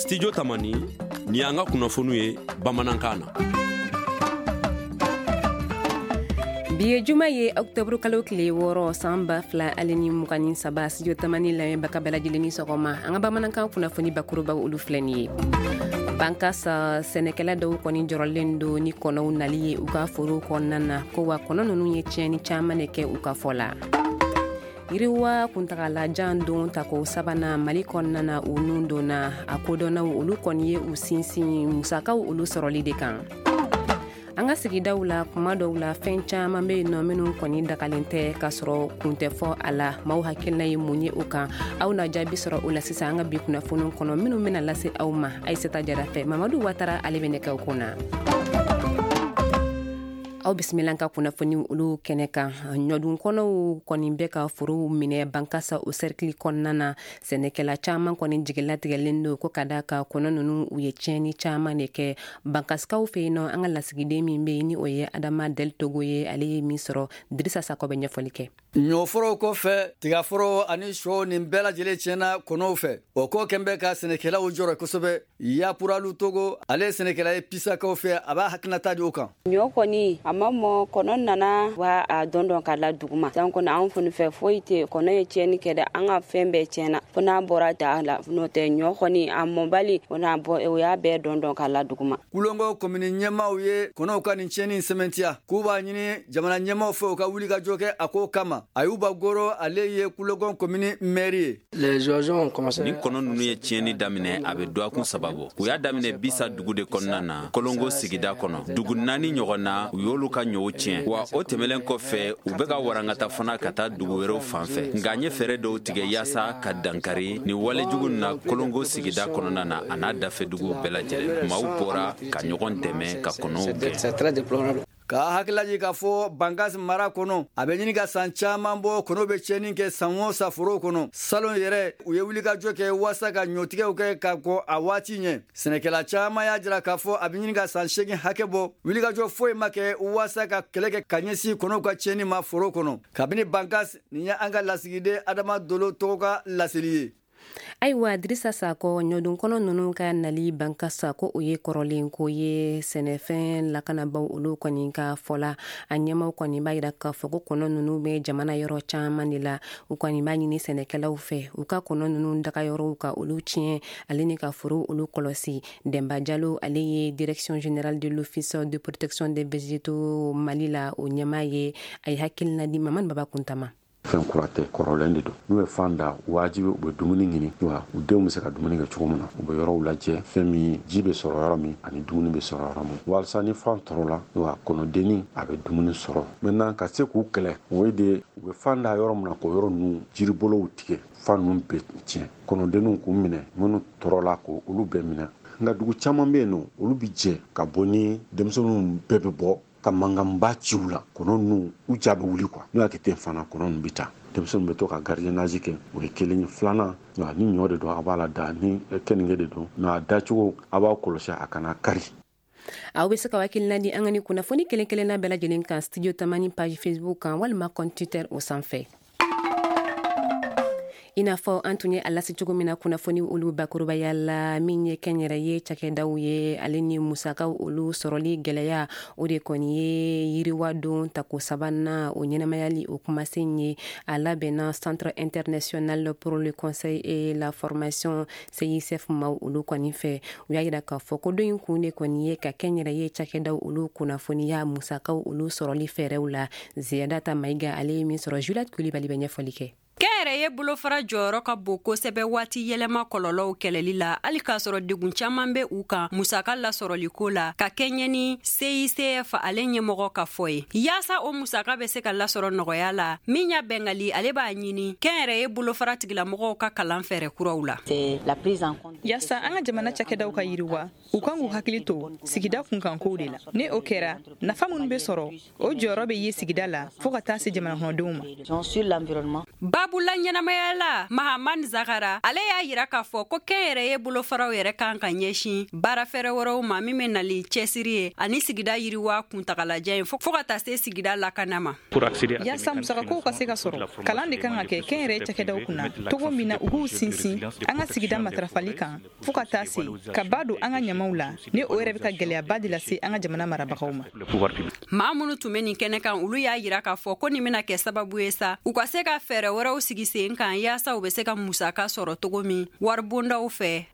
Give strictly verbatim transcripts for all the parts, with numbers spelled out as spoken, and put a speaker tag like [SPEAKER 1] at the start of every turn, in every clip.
[SPEAKER 1] Studio Tamani, ni y'an ka kunnafoniw ye bamanankan na.
[SPEAKER 2] Bi ye juma ye, octobre kalo tile wɔɔrɔ, san ba fila ale ni mugan ni saba. Studio Tamani lamɛnbaga bɛɛ lajɛlen ni sɔgɔma. An ka bamanankan kunnafoni bakurubaw, olu filɛ nin ye. Bankasa sɛnɛkɛla dɔw kɔni jɔrɔlen don ni kɔnɔw nali ye u ka forow kɔnɔna na, ko wa kɔnɔ ninnu ye tiɲɛni caman de kɛ u ka fɔ la. Yiriwa kuntagalajan don tako sabanan Mali kɔnɔna na, u nun donna a kodɔnnaw, olu kɔni ye u sinsin musakaw olu sɔrɔli de kan. An ka sigidaw la, kuma dɔw la, fɛn caman bɛ yen nɔ minnu kɔni dagalen tɛ, k'a sɔrɔ kun tɛ fɔ a la. Maaw hakilina ye mun ye o kan? Aw na jaabi sɔrɔ o la sisan an ka bi kunnafoniw kɔnɔ minnu bɛna lase aw ma Ayisata Jara fɛ. Mamadu Watara, ale bɛ nɛgɛw kun na. Aw bisimila ka kunnafoni olu kɛnɛ kan. Ɲɔdun kɔnɔw kɔni bɛ ka forow minɛ Bankasa o cercle kɔnɔna na. Sɛnɛkɛla caman kɔni jigilatigɛlen don ko ka da ka kɔnɔ ninnu, u ye tiɲɛni caman de kɛ Bankasikaw fɛ yen nɔ. An ka lasigiden min bɛ yen, ni o ye Adama Del Togo ye, ale ye min sɔrɔ, Dirisa Sakɔ bɛ ɲɛfɔli kɛ.
[SPEAKER 3] Ɲɔforow kɔfɛ, tigaforo ani sɔ, nin bɛɛ lajɛlen tiɲɛna kɔnɔw fɛ. O ko kɛn bɛ ka sɛnɛkɛlaw jɔrɔ kosɛbɛ. Yapuralu Togo, ale ye sɛnɛkɛla ye Pisakaw fɛ, a b'a hakilinata di o kan.
[SPEAKER 4] Ɲɔ kɔni a ma mɔ, kɔnɔ nana wa a dɔn dɔn ka la duguma san kɔnɔ. Anw fɔni fɛ foyi tɛ, kɔnɔ ye tiɲɛni kɛ dɛ, an ka fɛn bɛɛ tiɲɛna fo n'a bɔra da la. N'o tɛ, ɲɔ kɔni a mɔbali, o n'a bɔ, o y'a bɛɛ dɔn dɔn ka la duguma.
[SPEAKER 3] Kulongo komini ɲɛmaaw ye kɔnɔw ka nin tiɲɛni sɛmɛntiya, k'u b'a ɲini jamana ɲɛmaaw fɛ, u ka wuli ka jɔ kɛ a ko kama. Ayuba Goro, ale ye Kulongo komini mɛri ye.
[SPEAKER 5] Ni kɔnɔ ninnu ye tiɲɛni daminɛ, a bɛ dɔgɔkun saba bɔ. U y'a daminɛ Bisa dugu de kɔnɔna na, Kolongo sigida kɔnɔ. Dugu naani ɲɔgɔn na, u y'olu ka ɲɔw tiɲɛ. Wa o tɛmɛlen kɔfɛ, u bɛ ka warankata fana ka taa dugu wɛrɛw fan fɛ. Nka n ye fɛɛrɛ dɔw tigɛ yaasa ka dankari ni walejugu na Kolongo sigida kɔnɔna na, a n'a dafɛ duguw bɛɛ lajɛlen. Maaw bɔra ka ɲɔgɔn dɛmɛ ka kɔnɔw gɛn.
[SPEAKER 3] K'a hakililaji k'a fɔ Bankas mara kɔnɔ, a bɛ ɲini ka san caman bɔ, kɔnɔw bɛ tiɲɛni kɛ san o san forow kɔnɔ. Salon yɛrɛ, u ye wulikajɔ kɛ waasa ka ɲɔtigɛw kɛ ka kɔ a waati ɲɛ. Sɛnɛkɛla caman y'a jira k'a fɔ a bɛ ɲini ka san seegin hakɛ bɔ, wulikajɔ foyi ma kɛ waasa ka kɛlɛ kɛ ka ɲɛsin kɔnɔw ka tiɲɛni ma foro kɔnɔ. Kabini Bankas, nin ye an ka lasigiden Adama Dolo tɔgɔ ka laseli ye.
[SPEAKER 2] Ayiwa, Dirisa Sakɔ, ɲɔdun kɔnɔ ninnu ka nali Bankasa, ko o ye kɔrɔlen ko ye sɛnɛfɛn lakanabaw olu kɔni ka fɔ la. A ɲɛmaw kɔni b'a yira k'a fɔ ko kɔnɔ ninnu bɛ jamana yɔrɔ caman de la. U kɔni b'a ɲini sɛnɛkɛlaw fɛ, u ka kɔnɔ ninnu dagayɔrɔw ka olu tiɲɛ, ale ni ka foro olu kɔlɔsi. Dɛnba Jalo, ale ye Direction générale de l'Office de protection des végétaux Mali la o ɲɛmaa ye. A ye hakilina di Mamani Baba Kuntama.
[SPEAKER 6] Fɛn kura tɛ, kɔrɔlen de don. N'u ye fan da, wajibi u bɛ dumuni ɲini wa u denw bɛ se ka dumuni kɛ cogo min na. U bɛ yɔrɔw lajɛ, fɛn min ji bɛ sɔrɔ yɔrɔ min ani dumuni bɛ sɔrɔ yɔrɔ min, walasa ni fan tɔrɔ la wa kɔnɔdenni a bɛ dumuni sɔrɔ. Maintenant, ka se k'u kɛlɛ, o ye de u bɛ fan da yɔrɔ min na, k'o yɔrɔ ninnu jiribolow tigɛ, fan ninnu bɛ tiɲɛ, kɔnɔdenninw k'u minɛ, minnu tɔɔrɔla k'o olu bɛɛ minɛ. Nka dugu caman bɛ yen nɔ, olu bɛ jɛ ka bɔ ni denmisɛnninw bɛɛ bɛ bɔ ka mankanba ci u la, kɔnɔ ninnu u ja bɛ wuli quoi. N'u y'a kɛ ten fana, kɔnɔ ninnu bɛ taa. Denmisɛnninw bɛ to ka gardiennage kɛ, o ye kelen ye. Filanan, ni ɲɔ de don, a b'a la da, ni keninge de don, nka a dacogo, a b'a kɔlɔsi a kana kari.
[SPEAKER 2] Aw bɛ se ka hakilina di an ka ni kunnafoni kelen kelenna bɛɛ lajɛlen kan Studio Tamani page Facebook kan walima compte Twitter o sanfɛ. I n'a fɔ an tun ye a lase cogo min na kunnafoni olu bakurubaya la, min ye kɛnyɛrɛye cakɛdaw ye, ale ni musakaw olu sɔrɔli gwɛlɛya, o de kɔni ye yiriwa don tako sabanan o ɲɛnamayali o kumasen ye. A labɛnna Centre international pour le conseil et la formation, C I C F maw olu kɔni fɛ. U y'a yira k'a fɔ ko don in kun de kɔni ye ka kɛnyɛrɛye cakɛdaw olu kunnafoniya musakaw olu sɔrɔli fɛɛrɛw la. Ziyadata Mayiga, ale ye min sɔrɔ, Juliette Kulibali bɛ ɲɛfɔli kɛ.
[SPEAKER 7] Kɛnyɛrɛye bolofara jɔyɔrɔ ka bon kosɛbɛ waati yɛlɛma kɔlɔlɔw kɛlɛli la, hali k'a sɔrɔ degun caaman bɛ u kan musaka lasɔrɔliko la, ka kɛɲɛ ni C I C F ale ɲɛmɔgɔ ka fɔ ye. Yaasa o musaka bɛ se ka lasɔrɔ nɔgɔya la, min y'a bɛngali, ale b'a ɲini kɛnyɛrɛye bolofara tigilamɔgɔw ka kalan fɛɛrɛ kuraw la.
[SPEAKER 8] Yaasa an ka jamana cakɛdaw ka yiriwa, u kan k'u hakili to sigida kunkankow de la. Ni o kɛra, nafa minnu bɛ sɔrɔ, o jɔyɔrɔ bɛ ye sigida la fɔɔ ka taa se jamana kɔnɔdenw ma.
[SPEAKER 7] babu la ɲɛnamaya la Mahaman Zakara, ale y'a yira k'a fɔ ko kɛnyɛrɛye bolofaraw yɛrɛ kan ka ɲɛsin baarafɛɛrɛ wɛrɛw ma min bɛ nali cɛsiri ye ani sigida yiriwa kuntagalajan ye fo ka taa se sigida lakana ma.
[SPEAKER 8] Yaasa musakakow ka se ka sɔrɔ, kalan de kan ka kɛ kɛnyɛrɛye cakɛdaw kunna cogo min na u k'u sinsin an ka sigida matarafali kan fo ka taa se ka ba don an ka ɲamaw la, ni o yɛrɛ bɛ ka gɛlɛyaba de lase an ka jamana marabagaw ma.
[SPEAKER 7] Maa minnu tun bɛ nin kɛnɛ kan, olu y'a yira k'a fɔ ko nin bɛna kɛ sababu ye sa u ka se ka fɛɛrɛ wɛrɛw sigi sen kan yaasa u bɛ se ka musaka sɔrɔ cogo min waribondaw fɛ.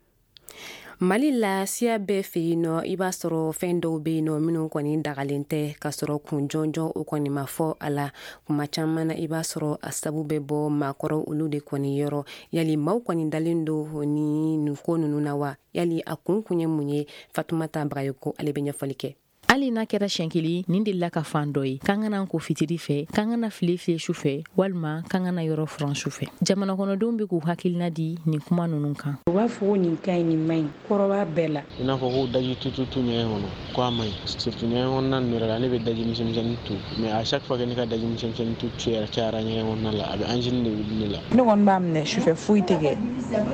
[SPEAKER 2] Mali la, siya bɛɛ fɛ yen nɔ, i b'a sɔrɔ fɛn dɔw bɛ yen nɔ minnu kɔni dagalen tɛ ka sɔrɔ kun jɔnjɔn o kɔni ma fɔ a la. Kuma caman na, i b'a sɔrɔ a sabu bɛ bɔ maakɔrɔ olu de kɔni yɔrɔ. Yali maaw kɔni dalen don ni nin ko ninnu na wa? Yali a kun kun ye mun ye? Fatumata Bagayoko, ale bɛ ɲɛfɔli kɛ.
[SPEAKER 9] Hali n'a kɛra siɲɛ kelen, nin delila ka fan dɔ ye k'an kana ko fitiri fɛ, k'an kana file fiyɛ su fɛ, walima k'an kana yɔrɔ furan su fɛ. Jamana kɔnɔdenw bɛ k'u hakilina di nin kuma ninnu kan.
[SPEAKER 10] U b'a fɔ ko nin ka ɲi, nin man ɲi, kɔrɔ b'a bɛɛ la.
[SPEAKER 11] I n'a fɔ ko daji tututu ɲɛgɛn kɔnɔ ko a man ɲi, surtout ɲɛgɛn kɔnɔna ninnu yɛrɛ la, ne bɛ daji misɛnmisɛnnin tu, mais à chaque fois que ne ka daji misɛnmisɛnnin tu cayara ɲɛgɛn kɔnɔna la, a bɛ angine de wuli ne la.
[SPEAKER 8] Ne kɔni b'a minɛ sufɛ, foyi tɛ kɛ,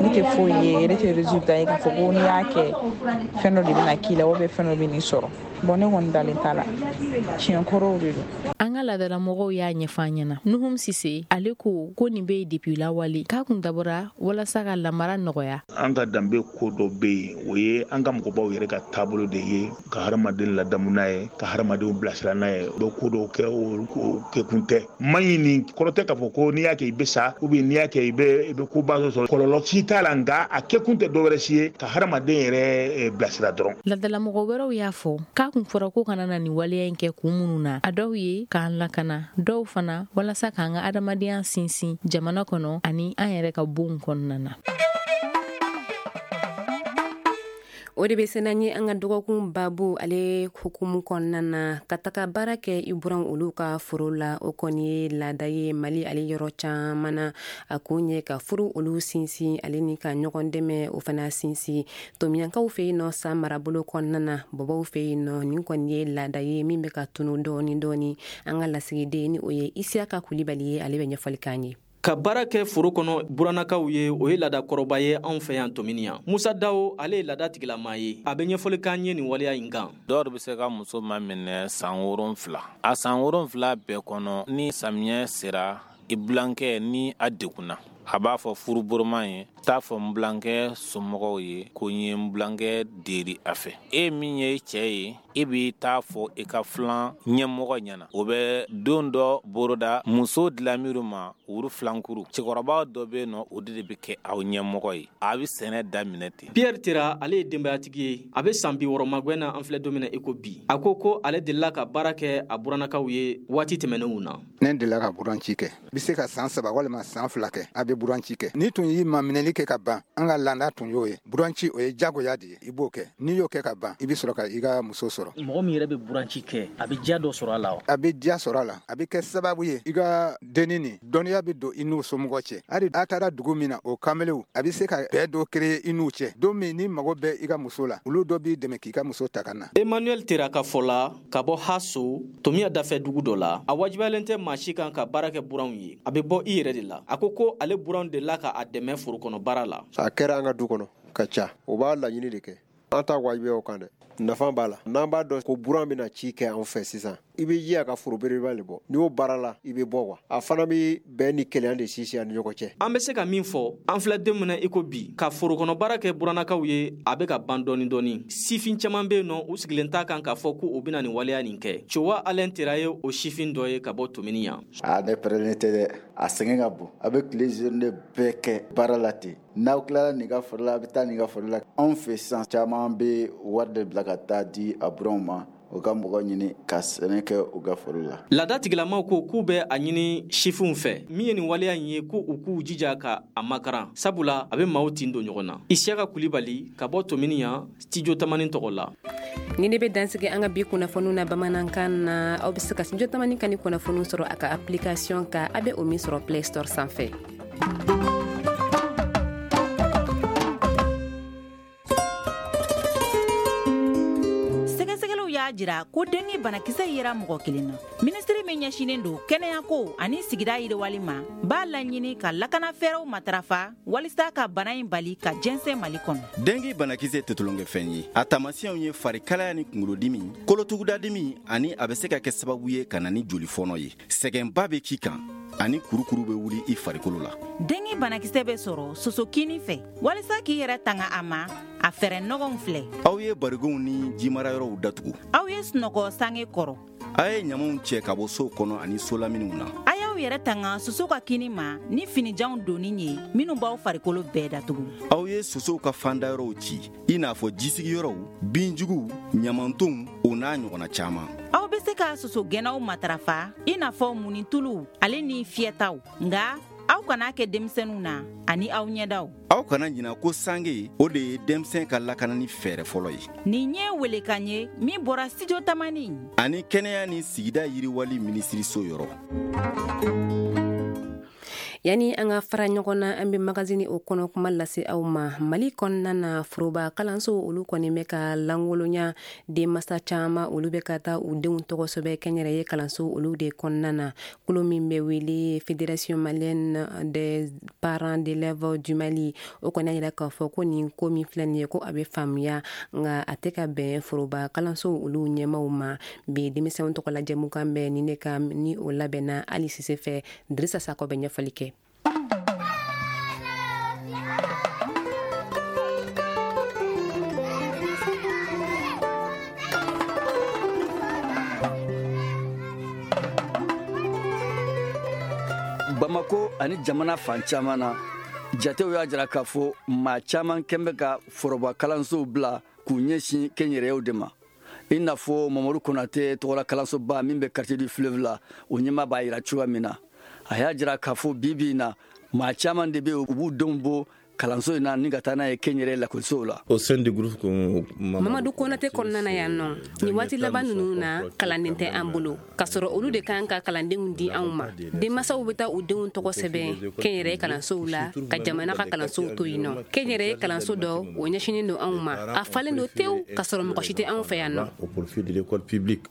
[SPEAKER 8] ne tɛ foyi ye, ne tɛ résultat ye k'a fɔ ko n'i y'a kɛ fɛn dɔ de bɛna k'i la ou bien fɛn dɔ bɛ n'i sɔrɔ. Bon, ne kɔni dalen t'a la, tiɲɛ kɔrɔw de don.
[SPEAKER 9] An ka laadalamɔgɔw y'a ɲɛfɔ an ɲɛna. Nuhum Sise, ale ko ko nin bɛ yen depuis lawale, k'a kun dabɔra walasa ka lamara nɔgɔya.
[SPEAKER 12] An ka danbe ko dɔ bɛ yen, o ye an ka mɔgɔbaw yɛrɛ ka taabolo de ye, ka hadamaden ladamu n'a ye, ka hadamadenw bilasira n'a ye. U bɛ ko dɔw kɛ, o kɛkun tɛ. Man ɲi nin kɔrɔ tɛ k'a fɔ ko n'i y'a kɛ i bɛ sa, ou bien n'i y'a kɛ i bɛ i bɛ koba sɔrɔ. Kɔlɔlɔ si t'a la, nka a kɛkun tɛ dɔwɛrɛ si ye ka hadamaden yɛrɛ bilasira dɔrɔn.
[SPEAKER 9] Laadalamɔgɔ wɛrɛw y'a fɔ k'a kun fɔra ko kana na nin waleya in kɛ kun minnu na, a dɔw ye k'an lakana, dɔw fana walasa k'an ka adamadenya sinsin jamana kɔnɔ ani an yɛrɛ ka bonw kɔnɔna na.
[SPEAKER 2] O de bɛ se n'an ye an ka dɔgɔkun babu ale hukumu kɔnɔna na, ka taga baara kɛ i buran olu ka foro la. O kɔni ye laada ye Mali ale yɔrɔ caman na. A kun ye ka furu olu sinsin ale ni ka ɲɔgɔn dɛmɛ o fana sinsin. Tomiyankaw fɛ yen nɔ, san marabolo kɔnɔna na, bɔbɔw fɛ yen nɔ, nin kɔni ye laada ye min bɛ ka tunu dɔɔni dɔɔni. An ka lasigiden ni o ye Isiyaka Kulibali ye, ale bɛ ɲɛfɔli k'an ye.
[SPEAKER 13] Ka baara kɛ foro kɔnɔ burannakaw ye, o ye laada kɔrɔba ye anw fɛ yan Tominiyan. Musa Dawo, ale ye laada tigilama ye, a bɛ ɲɛfɔli k'an ye nin waleya in kan.
[SPEAKER 14] Dɔw bɛ se ka muso ma minɛ san wolonfila, a san wolonfila bɛɛ kɔnɔ, ni samiyɛ sera, i bilankɛ ni a degunna, a b'a fɔ furuboroma ye, t'a fɔ n bilankɛ somɔgɔw ye ko n ye n bilankɛ deri a fɛ. E min ye cɛ ye, e b'i t'a fɔ i ka filan ɲɛmɔgɔ ɲɛna. O bɛ don dɔ boroda muso dilanmiru ma wuru filankuru. Cɛkɔrɔba dɔ bɛ yen nɔ, o de bɛ kɛ aw ɲɛmɔgɔ ye. A bɛ sɛnɛ daminɛ ten.
[SPEAKER 13] Pierre Tera, ale ye denbayatigi ye, a bɛ san bi wɔɔrɔ magɛn na an filɛ don min na i ko bi. A ko ko ale delila ka baara kɛ a burannakaw ye waati tɛmɛnenw na.
[SPEAKER 15] Ne delila ka buranci kɛ. I bɛ se ka san saba walima san fila kɛ, a bɛ buranci kɛ. N'i tun y'i maminɛli kɛ ka ban, an ka laada tun y'o ye. Buranci o ye jagoya de ye, i b'o kɛ. N'i y'o kɛ ka ban, i bɛ sɔrɔ ka i ka muso sɔrɔ.
[SPEAKER 13] Mɔgɔ min yɛrɛ bɛ buranci kɛ, a bɛ diya dɔ sɔrɔ a la wa?
[SPEAKER 15] A bɛ diya sɔrɔ a la, a bɛ kɛ sababu ye i ka denni nin dɔnniya bɛ don i n'u somɔgɔ cɛ. Hali a taara dugu min na, o kamelenw, a bɛ se ka bɛn dɔ créer i n'u cɛ. Don min n'i mago bɛ i ka muso la, olu dɔ b'i dɛmɛ k'i ka muso ta ka na.
[SPEAKER 13] Emmanuel Tera ka fɔ la, ka bɔ Haso, Tomiya dafɛ dugu dɔ la, a wajibiyalen tɛ maa si kan ka baara kɛ buranw ye, a bɛ bɔ i yɛrɛ de la. A ko ko ale buranw delila ka a dɛmɛ foro kɔnɔ baara la.
[SPEAKER 16] A kɛra an ka du kɔnɔ ka ca, o b'a laɲini de kɛ. An t'a wajibiya o kan dɛ, nafa b'a la. N'an b'a dɔn ko buran bɛna ci kɛ an fɛ sisan, i bɛ ji a ka foro belebeleba de bɔ. N'i y'o baara la, i bɛ bɔ wa. A fana bɛ bɛn ni kelenya de sinsin a ni ɲɔgɔn cɛ.
[SPEAKER 13] An bɛ se ka min fɔ, an filɛ don min na i ko bi, ka forokɔnɔ baara kɛ burannakaw ye, a bɛ ka ban dɔɔni dɔɔni. Sifin caman bɛ yen nɔ, u sigilen t'a kan k'a fɔ ko u bɛna nin waleya nin kɛ. Cowa Alain Tera ye o sifin dɔ ye ka bɔ Tominiyan.
[SPEAKER 17] A ne pɛrɛnnen tɛ dɛ, a sɛgɛn ka bon. A bɛ tile journée bɛɛ kɛ baara la ten. N'aw tilara nin ka foro la, a bɛ taa nin ka foro la. Anw fɛ sisan, caman bɛ wari de bila ka taa di a buranw ma, u ka mɔgɔ ɲini ka sɛnɛ kɛ u ka foro la.
[SPEAKER 13] Laada tigilamaw ko k'u bɛ a ɲini sifinw fɛ min ye nin waleya in ye, ko u k'u jija ka a makaran, sabula a bɛ maaw tin don ɲɔgɔn na. Isiyaka Kulibali ka bɔ Tominiyan, Studio Tamani tɔgɔ la.
[SPEAKER 2] Ni ne bɛ dansigi an ka bi kunnafoniw na bamanankan na. Aw bɛ se ka Studio Tamani kan ni kunnafoniw sɔrɔ a ka application kan, a bɛ o min sɔrɔ Play Store sanfɛ.
[SPEAKER 18] Y'a jira ko dengue banakisɛ yera mɔgɔ kelen na. Minisiri min ɲɛsinnen don kɛnɛyako ani sigida yiriwali ma b'a laɲini ka lakana fɛɛrɛw matarafa walisa ka bana in bali ka jɛnsɛn Mali kɔnɔ.
[SPEAKER 19] Dengue banakisɛ tɛ tulonkɛfɛn ye. A taamasiyɛnw ye farikalaya ni kunkolodimi, kolotugudadimi ani a bɛ se ka kɛ sababu ye ka na ni jolifɔnɔ ye. Sɛgɛnba bɛ k'i kan ani kurukuru bɛ wuli i farikolo la.
[SPEAKER 18] Dengue banakisɛ bɛ sɔrɔ sosokini fɛ. Walisa k'i yɛrɛ tanga a ma, a fɛɛrɛ nɔgɔnw filɛ.
[SPEAKER 19] Aw ye barigonw ni jimarayɔrɔw datugu.
[SPEAKER 18] Aw ye sunɔgɔ sange kɔrɔ.
[SPEAKER 19] A ye ɲamanw cɛ ka bɔ sow kɔnɔ ani solaminiw na.
[SPEAKER 18] A y'aw yɛrɛ tanga soso ka kini ma ni finijanw donni ye minnu b'aw farikolo bɛɛ datugu.
[SPEAKER 19] Aw ye sosow ka fandayɔrɔw ci, i n'a fɔ jisigiyɔrɔw, binjuguw, ɲamantonw, o n'a ɲɔgɔnna caman.
[SPEAKER 18] Aw bɛ se ka sosogɛnnaw matarafa i n'a fɔ munituluw ale ni fiyɛtaw, nka aw kana kɛ denmisɛnninw na ani aw ɲɛdaw.
[SPEAKER 19] Aw kana ɲina ko sange o de ye denmisɛn ka lakanani fɛɛrɛ fɔlɔ ye.
[SPEAKER 18] Nin ye welekan ye min bɔra Studio Tamani
[SPEAKER 19] ani kɛnɛya ni sigida yiriwali minisiriso yɔrɔ.
[SPEAKER 2] Yani an ka fara ɲɔgɔn na, an bɛ magazini o kɔnɔ kuma lase aw ma. Mali kɔnɔna na, foroba kalanso olu kɔni bɛ ka lankolonya. Denmasa caman olu bɛ ka taa u denw tɔgɔ sɛbɛn kɛnyɛrɛye kalanso olu de kɔnɔna na. Kulu min bɛ wele Fédération malienne des parents d'élèves du Mali, o kɔni y'a jira k'a fɔ ko nin ko min filɛ nin ye, ko a bɛ faamuya, nka a tɛ ka bɛn foroba kalanso olu ɲɛmaw ma. Bi denmisɛnw tɔgɔ la jɛmukan bɛ nin de kan, ni o labɛnna Ali Sise fɛ. Dirisa Sakɔ bɛ ɲɛfɔli kɛ.
[SPEAKER 3] Bamako ani jamana fan caman na, jatew y'a jira k'a fɔ maa caman kɛn bɛ ka foroba kalansow bila k'u ɲɛsin kɛnyɛrɛyew de ma. I n'a fɔ Mamadu Konate tɔgɔla kalansoba min bɛ quartier du fleuve la, o ɲɛmaa b'a jira cogoya min na. A y'a jira k'a fɔ bi bi in na, maa caman de bɛ yen, u b'u denw bɔ kalanso in na ni ka taa n'a ye kɛnyɛrɛ lakɔlisow la.
[SPEAKER 20] Au sein du groupe
[SPEAKER 2] Mamadu Konate kɔnɔna na yan nɔ, nin waati laban ninnu na, kalanden tɛ an bolo, k'a sɔrɔ olu de kan ka kalandenw di anw ma. Denmansaw bɛ taa u denw tɔgɔ sɛbɛn kɛnyɛrɛye kalansow la ka jamana ka kalansow to yen nɔ. Kɛnyɛrɛye kalanso dɔ o ɲɛsinnen don anw ma, a falen don tewu k'a sɔrɔ mɔgɔ si tɛ anw fɛ yan nɔ.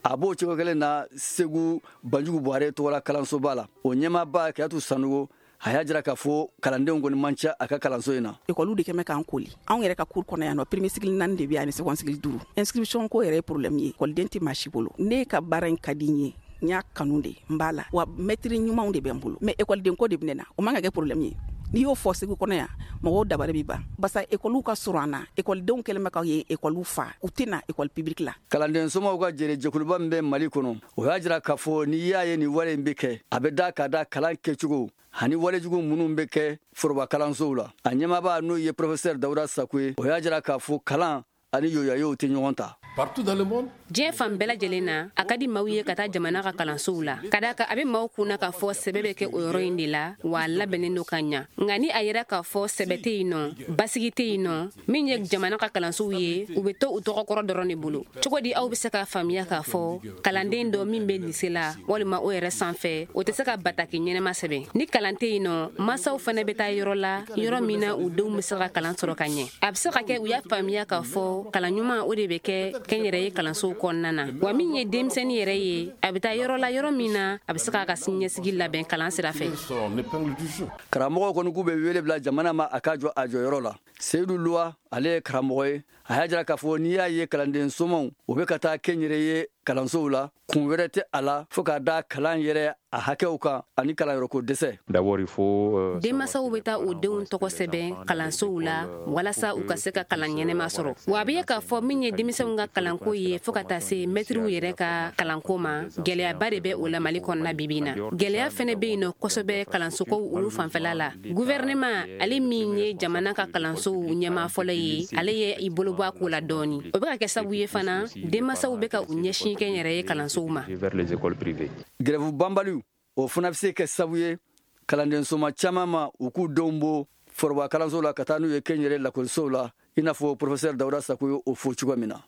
[SPEAKER 3] A b'o cogo kelen na Segu Banjugu Buhari tɔgɔla kalansoba la, o ɲɛmaaba Kiyatu Sanogo, a y'a jira k'a fɔ kalandenw kɔni man ca a ka kalanso in na.
[SPEAKER 21] Ekɔliw de kɛmɛ k'an koli. Anw yɛrɛ ka cours kɔnɔ yan nɔ, premier cycle naani de bɛ yan ani second cycle duuru. Inscription ko yɛrɛ ye problème ye, ekɔliden tɛ maa si bolo. Ne ka baara in ka di n ye, n y'a kanu de, n b'a la. Wa maître ɲumanw de bɛ n bolo. Mais ekɔliden ko de bɛ ne na, o man ka kɛ problème ye. N'i y'o fɔ Segu kɔnɔ yan, mɔgɔw dabali bɛ ban. Barisa ekɔliw ka surun an na, ekɔlidenw kɛlen bɛ ka yen ekɔliw fa, u tɛ na ekɔli publique la.
[SPEAKER 3] Kalanden somaw ka jɛrɛ jɛkuluba min bɛ Mali kɔnɔ, o y'a jira k'a fɔ n'i y'a ye nin wale in bɛ kɛ, a bɛ da ka da kalan kɛcogo ani walejugu minnu bɛ kɛ foroba kalansow la. A ɲɛmaaba n'o ye professeur Dawuda Sako ye, o y'a jira k'a fɔ kalan ani yoyayow tɛ ɲɔgɔn ta.
[SPEAKER 2] Diɲɛ fan bɛɛ lajɛlen na, a ka di maaw ye ka taa jamana ka kalansow la, ka d'a kan a bɛ maaw kunna k'a fɔ sɛbɛ bɛ kɛ o yɔrɔ in de la, wa a labɛnnen don ka ɲa. Nka ni a yera k'a fɔ sɛbɛ tɛ yen nɔ, basigi tɛ yen nɔ, min ye jamana ka kalansow ye, u bɛ to u tɔgɔkɔrɔ dɔrɔn de bolo. Cogo di aw bɛ se k'a faamuya k'a fɔ kalanden dɔ min bɛ lise la walima o yɛrɛ sanfɛ, o tɛ se ka bataki ɲɛnɛma sɛbɛn? Ni kalan tɛ yen nɔ, mansaw fana bɛ taa yɔrɔ la, yɔrɔ min na u denw bɛ se ka kalan sɔrɔ ka ɲɛ. A bɛ se ka kɛ u y'a faamuya k'a fɔ kalan ɲuman o de bɛ kɛ kɛnyɛrɛye kalansow kɔnɔna na. Wa min ye denmisɛnnin yɛrɛ ye, a bɛ taa yɔrɔ la, yɔrɔ min na a bɛ se k'a ka siniɲɛsigi labɛn kalan sira fɛ.
[SPEAKER 3] Karamɔgɔw kɔni k'u bɛ wele bila jamana ma a ka jɔ a jɔyɔrɔ la. Seyidu Luwa, ale ye karamɔgɔ ye, a y'a jira k'a fɔ n'i y'a ye kalanden somaw o bɛ ka taa kɛnyɛrɛye kalansow la, kun wɛrɛ tɛ a la fo k'a da kalan yɛrɛ a hakɛw kan ani kalanyɔrɔko dɛsɛ.
[SPEAKER 2] Denmansaw bɛ taa u denw tɔgɔ sɛbɛn kalansow la walasa u ka se ka kalan ɲɛnɛma sɔrɔ. Wa a bɛ ye k'a fɔ min ye denmisɛnw ka kalanko ye fo ka taa se mɛtiriw yɛrɛ ka kalanko ma, gɛlɛyaba de bɛ o la Mali kɔnɔna bi bi in na. Gɛlɛya fɛnɛ bɛ yen nɔ kosɛbɛ kalansokow olu fanfɛla la. Gouvernement, ale min ye jamana ka kalansow ɲɛmaa fɔlɔ ye, ale ye i bolo bɔ a ko la dɔɔni. O bɛ ka kɛ sababu ye fana, denmansaw bɛ ka u ɲɛsin kɛnyɛrɛye kalansow ma.
[SPEAKER 3] Grève banbaliw, o fana bɛ se kɛ sababu ye kalanden soma caman ma u k'u denw bɔ foroba kalansow la ka taa n'u ye kɛnyɛrɛ lakɔlisow la, i n'a fɔ professeur Dawuda Sako ye o fɔ cogo min na.